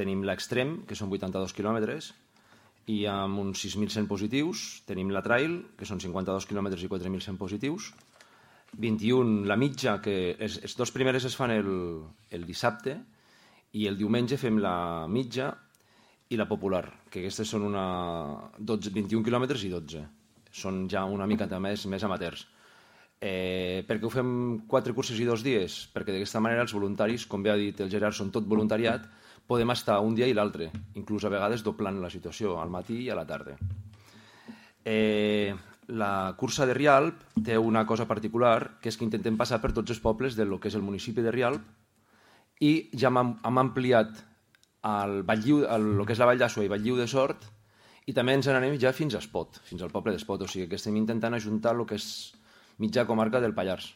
tenim l'Extrem, que són 82 quilòmetres, i amb uns 6.100 positius. Tenim la Trail, que són 52 quilòmetres i 4.100 positius. 21, la mitja, que els dos primeres es fan el dissabte, i el diumenge fem la mitja i la popular, que aquestes són 21 quilòmetres i 12. Són ja una mica més amateurs. Per què ho fem 4 curses i 2 dies? Perquè d'aquesta manera els voluntaris, com bé ha dit el Gerard, són tot voluntariat, podem estar un dia i l'altre, inclús a vegades doblant la situació, al matí i a la tarda. La cursa de Rialp té una cosa particular, que és que intentem passar per tots els pobles del que és el municipi de Rialp, i ja hem ampliat el que és la Vall d'Àsua i Valldíu de Sort, i també ens n'anem ja fins a Espot, fins al poble d'Espot, o sigui que estem intentant ajuntar el que és mitja comarca del Pallars.